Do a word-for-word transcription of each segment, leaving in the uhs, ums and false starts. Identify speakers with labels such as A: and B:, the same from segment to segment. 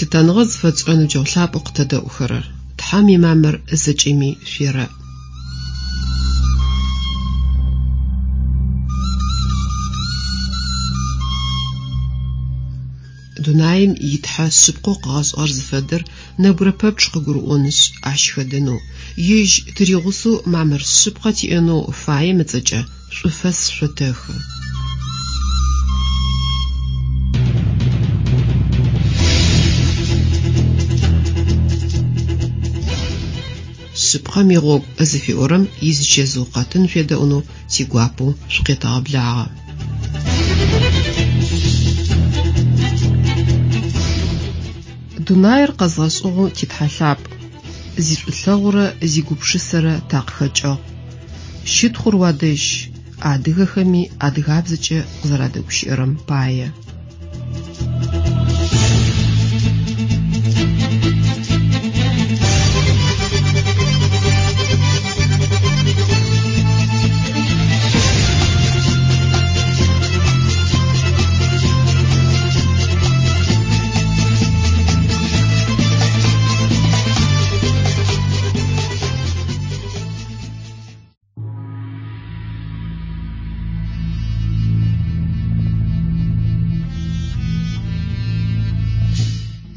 A: Лъытэныгъэ зыфэтшӏырэ ныбджэгъу лъапӏэу къытэдэӏухэрэр! Тхьэм имамыр зэкӏэми шъуерэӏ! Дунаим и Тхьэ шъыпкъэу къыгъэшӏыгъэр зыфэдэр нэбгырэ пэпчъ къыгурыӏонышъ, ащ хэдэнэу, Ежь тыригъусэу мамыр шъыпкъэ тиӏэнэу фаем ыцӏэкӏэ шӏуфэс шъотэхы. Шъыпкъэм игъогу зыфиӏорэм изычэзыу къэтын шъуедэӏунэу тигуапэу шъукъетэгъэблагъэ. Дунаир къэзгъэшӏыгъэу ти Тхьэ лъапӏ, зишӏулъэгъурэ зигупшысэрэ такъыхэкӏыгъ. Щытхъур уадэжь, адыгэхэми адыгабзэкӏэ укъызэрадэгущыӏэрэм пае.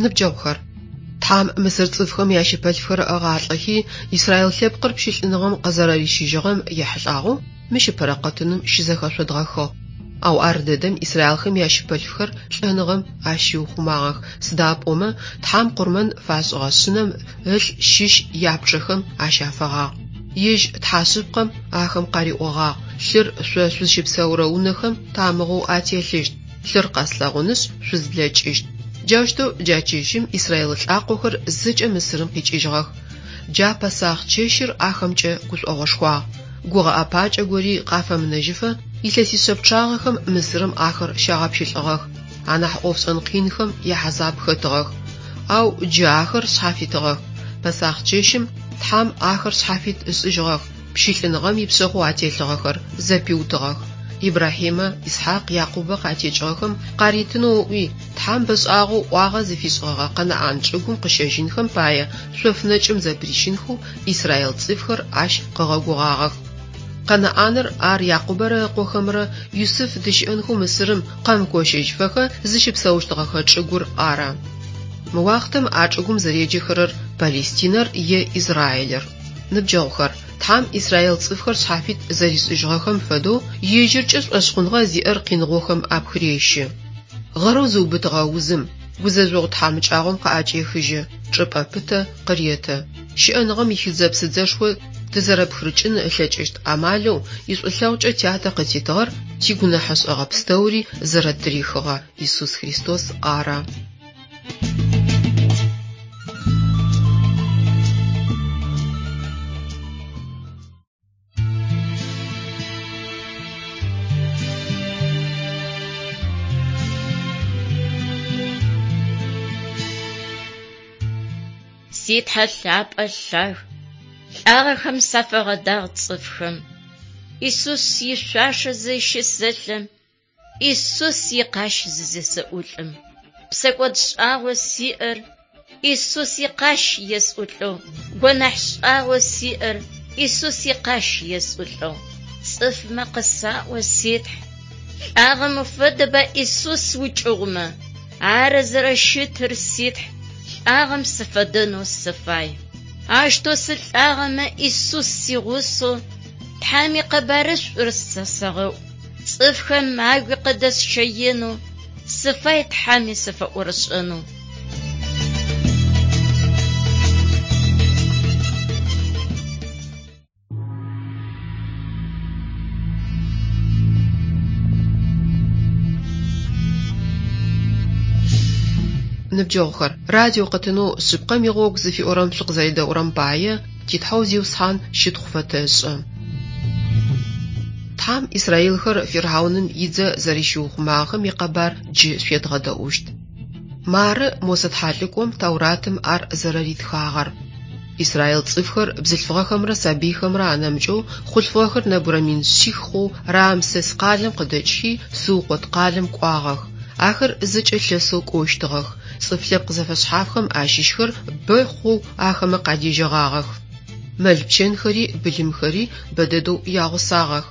A: Ныбджэгъухэр, Тхьэм Мысыр цӏыфхэм ящыпэлъфхэр ыгъалӏэхи, Израил лъэпкъыр пщылӏыныгъэм къызэрэрищыжьыгъэм ехьылӏагъэу мыщ ыпэрэ къэтыным щызэхэшъодгъэхыгъ. Ау ар дэдэм израилхэм ящыпэлъфхэр лӏэныгъэм ащиухъумагъэх, сыда пӏомэ Тхьэм къурмэн фашӏыгъэ шъынэм ылъ щыщ япчъэхэм ащафэгъагъ. Ежь Тхьэ шъыпкъэм ахэм къариӏогъагъ: лъыр шъо шъузщыпсэурэ унэхэм тамыгъэу ателъыщт, лъыр къэслъэгъунышъ шъузблэкӏыщт. Джаущтэу джа чэщым Израил лӏакъохэр зэкӏэ Мысырым къикӏыжьыгъэх. Джа Пэсах чэщыр ахэмкӏэ гушӏогъошхуагъ. Гугъэ ӏэпакӏэ гори къафэмынэжьыфэ илъэсишъэ пчъагъэхэм Мысырым ахэр щагъэпщылӏыгъэх. Анахь ӏофшӏэн къинхэм яхьазаб хэтыгъэх. Ау джы ахэр шъхьафитыгъэх. Пэсах чэщым Тхьэм ахэр шъхьафит ышӏыжьыгъэх, пщылӏыныгъэм ипшъэхъу ателъыгъэхэр зэпиутыгъэх. Ибрахьимэ, Исхьакъ, Якъубэ къатекӏыгъэхэм къаритынэу ыӏуи, Тхьэм бэшӏагъэу ӏуагъэ зыфишӏыгъэгъэ Къэнаӏан чӏыгум къыщэжьынхэм пае шъоф нэкӏым зэпырищынхэу Израил цӏыфхэр ащ къыгъэгугъагъэх. Къэнаӏаныр ар Якъубэрэ ыкъохэмрэ Юсыф дыщыӏэнхэу Мысырым къэмыкощыжьыфэхэ зыщыпсэущтыгъэхэ чӏыгур ары. Мы уахътэм а чӏыгум зэреджэхэрэр Палестинэр е Израилыр. Ныбджэгъухэр, Тхьэм Израил цӏыфхэр шъхьафит зэришӏыжьыгъэхэм фэдэу ежьыркӏэ шӏошъхъуныгъэ зиӏэр къиныгъохэм апхырещы. Гъэрэу зыубытыгъэ узым, гузэжъогъу тхьамыкӏагъом къыӏэкӏехыжьы, чӏыпӏэ пытэ къыреты. Щыӏэныгъэм ихыдзэ-псыдзэшхо тызэрэпхырыкӏын ылъэкӏыщт амалэу ишӏулъэгъукӏэ тятэ къытитыгъэр тигунэхьышӏэгъэ пстэури зэрэттырихыгъэ Исус Христос ары.
B: Си Тхьэ лъапӏэ лъаг, лӏагъэхэм сафэгъэдагъ цӏыфхэм. Исус ишъуашэ зыщысэлъэм, Исус икъащ зызесэӏулӏым. Псэкӏод шӏагъо сиӏэр, Исус икъащ есӏулӏэу, гонахь шӏагъо сиӏэр, Исус икъащ есӏулӏэу. Цӏыфмэ къысаӏо си Тхь, лӏагъэм уфэдэба Исус укӏыгъумэ, ары зэрэщытыр си Тхь, лӏагъэм сыфэдэнэу сыфай. Аущтэу сылӏагъэмэ Исус сигъусэу, Тхьэм икъэбарышӏур сэ сэгъэӏу. Цӏыфхэм агуи къыдэсщэенэу, сыфай Тхьэми сыфэӏорышӏэнэу.
A: Ныбджэгъухэр, радио къэтынэу шъыпкъэм игъогу зыфиӏорэм шъукъызэредэӏурэм пае ти Тхьэу Зиусхьан щытхъу фэтэшӏы. Тхьэм Израилхэр Фирхьауным идзэ зэрэщиухъумагъэхэм икъэбар джы шъуедгъэдэӏущт. Мары Мосэ тхьалӏыкӏом Тауратым ар зэрэритхагъэр. Израил цӏыфхэр бзылъфыгъэхэмрэ сабыйхэмрэ анэмыкӏэу хъулъфыгъэхэр нэбгырэ мин шъих хъоу Рамсес къалэм къыдэкӏхи Сукъот къалэм кӏуагъэх. Ахэр зэкӏэ лъэсэу кӏощтыгъэх. Цӏыф лъэпкъ зэфэшъхьафхэм ащыщхэр бэ хъоу ахэмэ къадежьэгъагъэх. Мэл-пчэнхэри былымхэри бэ дэдэу ягъусагъэх.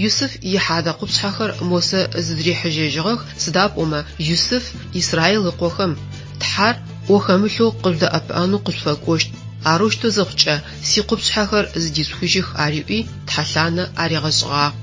A: Юсыф ихьадэ къупшъхьэхэр Мосэ зыдырихьыжьэжьыгъэх, сыда пӏомэ Юсыф Израил ыкъохэм: «Тхьэр ӏо хэмылъэу къыжъудэӏэпыӏэнэу къышъуфэкӏощт, арэущтэу зыхъукӏэ сикъупшъхьэхэр зыдишъухыжьых», – ариӏуи тхьэлъанэ аригъэшӏыгъагъ.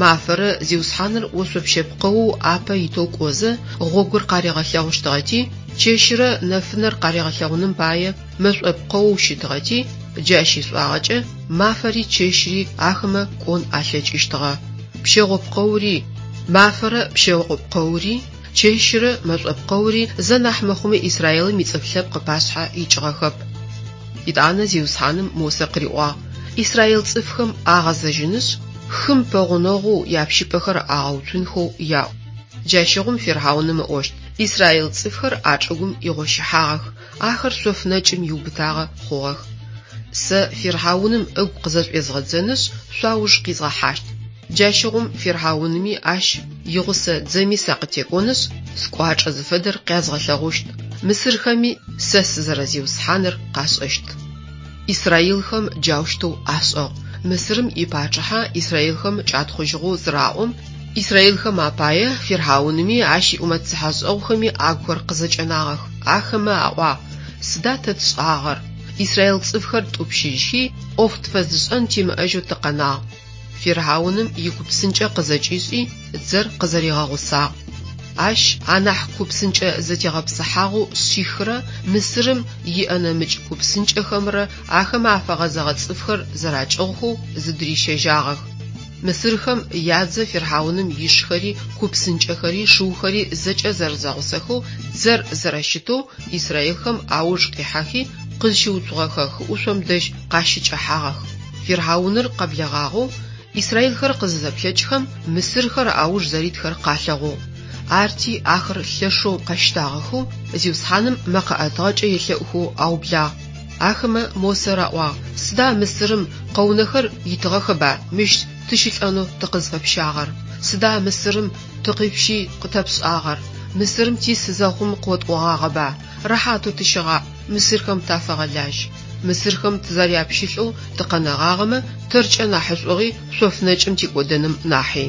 A: Мафэрэ Зиусхьаныр ошъопщэ пкъэоу апэ итэу кӏозэ гъогур къаригъэлъэгъущтыгъэти, чэщырэ нэфынэр къаригъэлъэгъуным пае мэшӏо пкъэоу щытыгъэти, джащ ишӏуагъэкӏэ мафэри чэщри ахэмэ кӏон алъэкӏыщтыгъэ. Пщэгъо пкъэури, мафэрэ пщэгъо пкъэури, чэщырэ мэшӏо пкъэури зэ нахь мыхъуми Израилым ицӏыф лъэпкъ ыпашъхьэ икӏыгъэхэп. Етӏанэ Зиусхьаным Мосэ къыриӏуагъ: Израил цӏыфхэм агъэзэжьынышъ, хым пэгъунэгъоу япщыпӏэхэр агъэуцунхэу яӏу. Джащыгъум фирхьауным ыӏощт: Израил цӏыфхэр а чӏыгум игъощыхьагъэх, ахэр шъоф нэкӏым иубытагъэ хъугъэх. Сэ фирхьауным ыгу къызэшӏуезгъэдзэнышъ, шъуауж къизгъэхьащт. Джащыгъум фирхьауными ащ игъусэ дзэми сакъытекӏонышъ, скӏуачӏэ зыфэдэр къязгъэлъэгъущт. Мысырхэми сэ сызэре-Зиусхьаныр къашӏэщт. Израилхэм джаущтэу ашӏыгъ. Мысырым ипачъыхьэ израилхэм кӏатхъужьыгъэу зыраӏом, израилхэм апае фирхьауными ащ иӏумэт цыхьэшӏэгъухэми агухэр къызэкӏэнагъэх. Ахэмэ аӏуагъ: «Сыда тэ тшӏагъэр? Израил цӏыфхэр ттӏупщыжьхи, ӏоф тфэзышӏэн тимыӏэжьэу тыкъэнагъ». Фирхьауным икупсынкӏэ къызэкӏишӏи, дзэр къызэригъэгъусагъ. Ащ анахь купсынкӏэ зэтегъэпсыхьагъэу шъихырэ Мысырым иӏэ нэмыкӏ купсынкӏэхэмрэ ахэмэ афэгъэзэгъэ цӏыфхэр зэракӏыгъухэу зыдырищэжьагъэх. Мысырхэм ядзэ фирхьауным ишхэри, купсынкӏэхэри, шыухэри зэкӏэ зэрэзэгъусэхэу дзэр зэрэщытэу израилхэм ауж къихьэхи, къызщыуцугъэхэ хыӏушъом дэжь къащыкӏэхьагъэх. Фирхьауныр къэблэгъагъэу израилхэр къызызэплъэкӏхэм, мысырхэр ауж зэритхэр къалъэгъугъ. Арти ахэр лъэшэу къэщтагъэхэу Зиусхьаным мэкъэ ӏэтыгъэкӏэ елъэӏухэу аублагъ. Ахэмэ Мосэ раӏуагъ: «Сыда Мысырым къэунэхэр итыгъэхэба мыщ тыщылӏэнэу тыкъызфэпщагъэр? Сыда Мысырым тыкъипщи къытэпшӏагъэр? Мысырым тис зэхъум къотӏогъагъэба: рэхьатэу тыщыгъаӏ, мысырхэм тафэгъэлажь. Мысырхэм тызэряпщылӏэу тыкъэнэгъагъэмэ, тэркӏэ нахьышӏугъи шъоф нэкӏым тикӏодэным нахьи».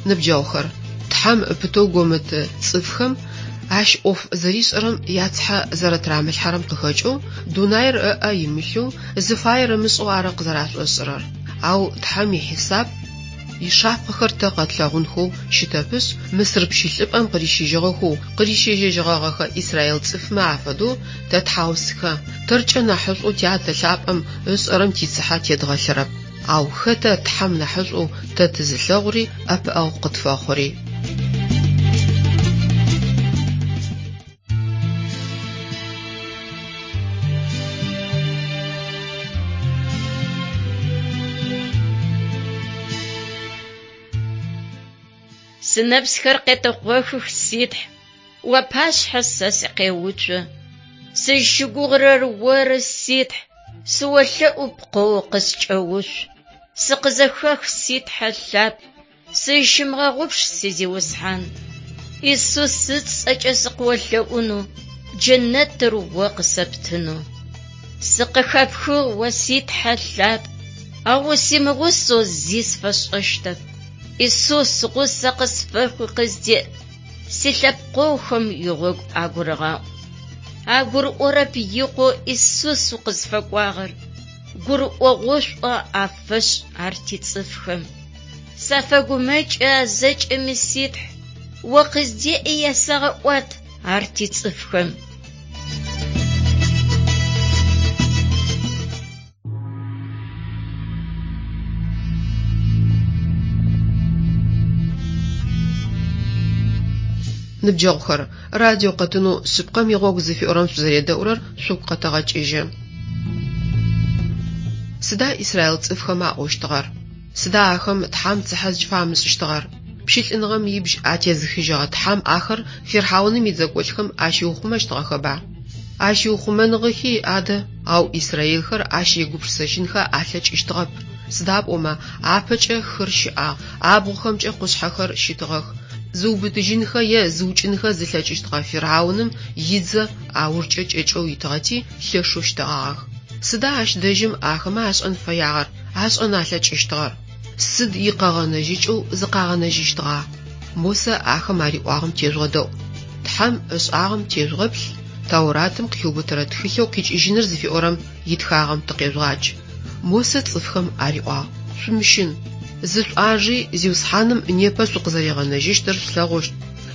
A: Ныбджэгъухэр, Тхьэм пытэу гомыт цӏыфхэм ащ ӏоф зэришӏэрэм яцыхьэ зэрэтырамылъхьэрэм къыхэкӏэу дунаир ыӏэ имылъэу, зыфаер ымышӏэу ары къызэрашӏошӏырэр. Ау Тхьэм ихьисап ишапхъэхэр тэ къэтлъэгъунхэу щытэпышъ, Мысыр пщылӏыпӏэм къырищыжьыгъэхэу къырищэжьэжьыгъэгъэхэ израил цӏыфмэ афэдэу тэ тхьаусхэ, тэркӏэ нахьышӏоу Тятэ лъапӏэм ышӏэрэм тицыхьэ тедгъэлъырэп. Ау хэта Тхьэм нахьышӏоу тэ тызылъэгъури ӏэпыӏэгъу къытфэхъури?
B: Сынэпсхэр къетэкъохых си Тхь, уапашъхьэ сэ сыкъеуцо. Сызщыгугъырэр Оры, си Тхь, сыолъэӏу пкъэу къыскӏэуцу. Сыкъызэхэх, си Тхьэ лъапӏ, сызщымыгъэгъупш, си Зиусхьан. Исус ыцӏэкӏэ сыкъыолъэӏунэу, джэнэтыр О къысэптынэу. Сыкъыхэпхыгъ О си Тхьэ лъапӏ, ау усимыгъусэу зи сфэшӏэщтэп. Исус гъусэ къысфэхъуи къыздеӏ, силъэпкъэгъухэм игъогу агурыгъаӏу. Агурыӏорэп икъоу Исус укъызфэкӏуагъэр, гурыӏогъошӏу афэшӏ ар тицӏыфхэм. Сафэгумэкӏы а зэкӏэми си Тхь, О къыздеӏи ясэгъэӏуат ар тицӏыфхэм.
A: Ныбджэгъухэр, радио къэтынэу шъыпкъэм игъогу зыфиӏорэм шъузэредэӏурэр шъугу къэтэгъэкӏыжьы. Сыда Израил цӏыфхэм аӏощтыгъэр? Сыда ахэм Тхьэм цыхьэ зыкӏыфамышӏыщтыгъэр? Пщылӏыныгъэм ибжь атезыхыжьыгъэ Тхьэм ахэр фирхьауным идзэкӏолӏхэм ащиухъумэщтыгъэхэба? Ащиухъумэныгъэхи адэ, ау израилхэр ащ егупшысэжьынхэ алъэкӏыщтыгъэп. Сыда пӏомэ апэкӏэ хыр щыӏагъ, абгъухэмкӏэ къушъхьэхэр щытыгъэх. Зыубытыжьынхэ е зыукӏынхэ зылъэкӏыщтыгъэ фирхьауным идзэ аужкӏэ кӏэкӏэу итыгъэти лъэшэу щтэгъагъэх. Сыда ащ дэжьым ахэмэ ашӏэн фэягъэр, ашӏэн алъэкӏыщтыгъэр? Сыд икъэгъэнэжьыкӏэу зыкъагъэнэжьыщтыгъа? Мосэ ахэм ариӏуагъэм тежъугъэдэӏу. Тхьэм ышӏагъэм тежъугъэплъ, Тауратым къыхиубытэрэ тхылъэу къикӏыжьыныр зыфиӏорэм итхагъэм тыкъежъугъадж. Мосэ цӏыфхэм ариӏуагъ: Шъумыщын, зышъуӏажи Зиусхьаным непэ шъукъызэригъэнэжьыщтыр шъулъэгъущт.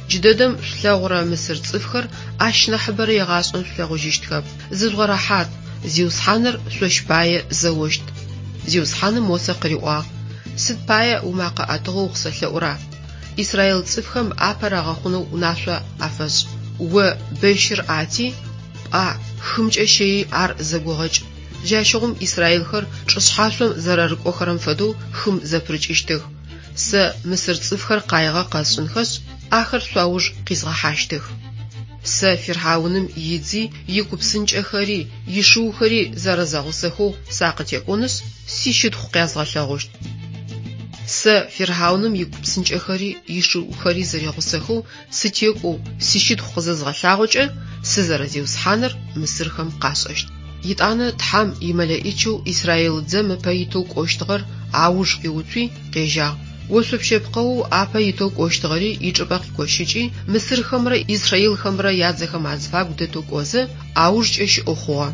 A: Джыдэдэм шъулъэгъурэ мысыр цӏыфхэр ащ нахьыбэрэ егъашӏэм шъулъэгъужьыщтхэп. Зыжъугъэрэхьат, Зиусхьаныр шъощ пае зэощт. Зиусхьаным Мосэ къыриӏуагъ: Сыд пае умакъэ ӏэтыгъэу укъысэлъэӏура? Израил цӏыфхэм апэ рагъэхъунэу унашъо афэшӏ. О бэщыр ӏати, пӏэ хымкӏэ щэйи ар зэгогъэкӏ. Джащыгъум израилхэр чӏышъхьашъом зэрэрыкӏохэрэм фэдэу хым зэпырыкӏыщтых. Сэ мысыр цӏыфхэр къаигъэ къэсшӏынхэшъ, ахэр шъуауж къизгъэхьащтых. Сэ фирхьауным идзи, икупсынкӏэхэри, ишыухэри зэрэзэгъусэхэу сакъытекӏонышъ, сищытхъу къязгъэлъэгъущт. Сэ фирхьауным икупсынкӏэхэри ишыухэри зэригъусэхэу сытекӏоу сищытхъу къызызгъэлъагъокӏэ, сызэрэ-Зиусхьаныр мысырхэм къашӏэщт. Етӏанэ Тхьэм имэлэӏичэу Израил дзэм ыпэ итэу кӏощтыгъэр ауж къиуцуи къежьагъ. Ошъопщэ пкъэоу апэ итэу кӏощтыгъэри ичӏыпӏэ къикощыкӏи, мысырхэмрэ израилхэмрэ ядзэхэм азыфагу дэтэу кӏозэ, аужкӏэ щыӏэу хъугъэ.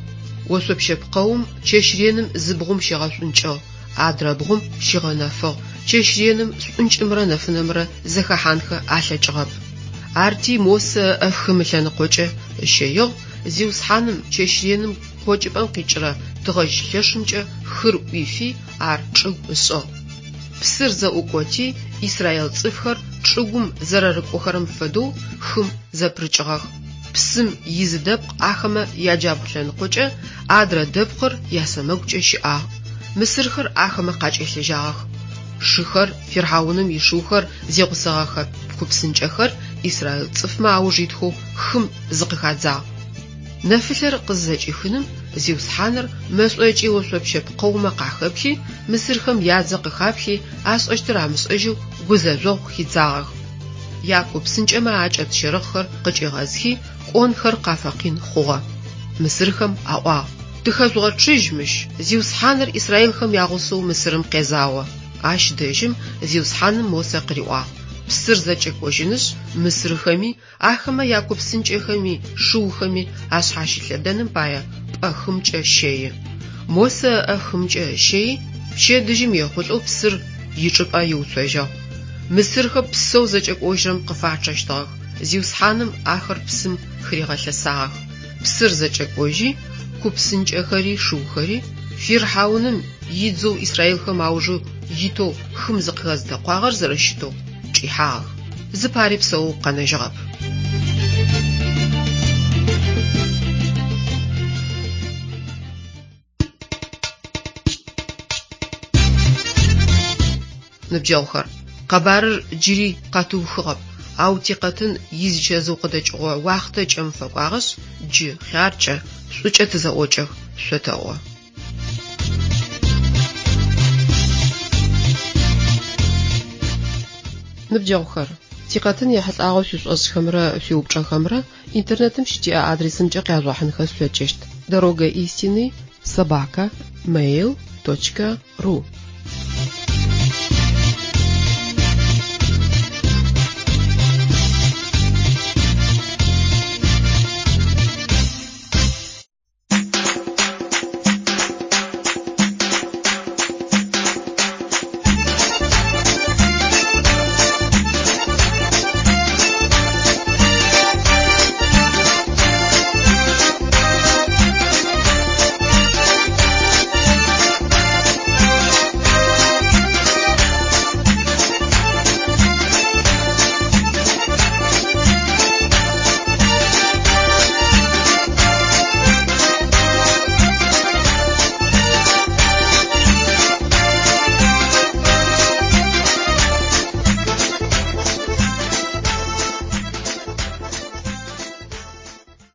A: Ошъопщэ пкъэум чэщ реным зы бгъум щигъэшӏункӏыгъ, адрэ бгъум щигъэнэфыгъ. Чэщ реным шӏункӏымрэ нэфынэмрэ зэхэхьанхэ алъэкӏыгъэп. Арти Мосэ ыӏэ хым ылъэныкъокӏэ ыщэигъ, Зиусхьаным чэщ реным къокӏыпӏэм къикӏырэ тыгъэжь лъэшымкӏэ хыр ӏуифи, ар чӏыгу ышӏыгъ. Псыр зэӏукӏоти, израил цӏыфхэр чӏыгум зэрэрыкӏохэрэм фэдэу хым зэпырыкӏыгъэх. Псым изы дэпкъ ахэмэ яджабгъу лъэныкъокӏэ, адрэ дэпкъыр ясэмэгукӏэ щыӏагъ. Мысырхэр ахэмэ къакӏэлъежьагъэх. Шыхэр, фирхьауным ишыухэр зигъусэгъэхэ купсынкӏэхэр израил цӏыфмэ ауж итхэу хым зыкъыхадзагъ. Нэфылъэр къызызэкӏихыным Зиусхьаныр мэшӏо ыкӏи ошъопщэ пкъэумэ къахэплъи, мысырхэм ядзэ къыхаплъи, ашӏэщтыр амышӏэжьэу гузэжъогъу хидзагъэх. Якупсынкӏэмэ акӏэт щэрыхъхэр къыкӏигъэзхи, кӏонхэр къафэкъин хъугъэ. Мысырхэм аӏуагъ: Тыхэжъугъэчъыжь мыщ, Зиусхьаныр израилхэм ягъусэу Мысырым къезао. Ащ дэжьым Зиусхьаным Мосэ къыриӏуагъ: Псыр зэкӏэкӏожьынышъ, мысырхэми, ахэмэ якупсынкӏэхэми, шыухэми ашъхьащылъэдэным пае пӏэ хымкӏэ щэи. Мосэ ыӏэ хымкӏэ ыщэйи, пчэдыжьым ехъулӏэу псыр ичӏыпӏэ иуцожьыгъ. Мысырхэр псэу зэкӏэкӏожьырэм къыфачъэщтыгъэх. Зиусхьаным ахэр псым хыригъэлъэсагъэх. Псыр зэкӏэкӏожьи, купсынкӏэхэри шыухэри, фирхьауным идзэу израилхэм аужэу итэу хым зыкъыхэзытэкъуагъэр зэрэщытэу чӏихьагъэх. Зыпари псэоу къэнэжьыгъэп. Ныбджэгъухэр, къэбарыр джыри къэтыухыгъэп, ау тикъэтын изычэзыу къыдэкӏыгъо уахътэ кӏэм фэкӏуагъэшъ, джы хъяркӏэ, шӏукӏэ тызэӏокӏэх, шъотэӏо. Ныбджэгъухэр, тикъэтын ехьылӏагъэу шъуишӏошӏхэмрэ шъуиупчӏэхэмрэ интернетым щытиӏэ адресымкӏэ къяжъугъэхьынхэ шъулъэкӏыщт: дорога истины собака mail точка ру.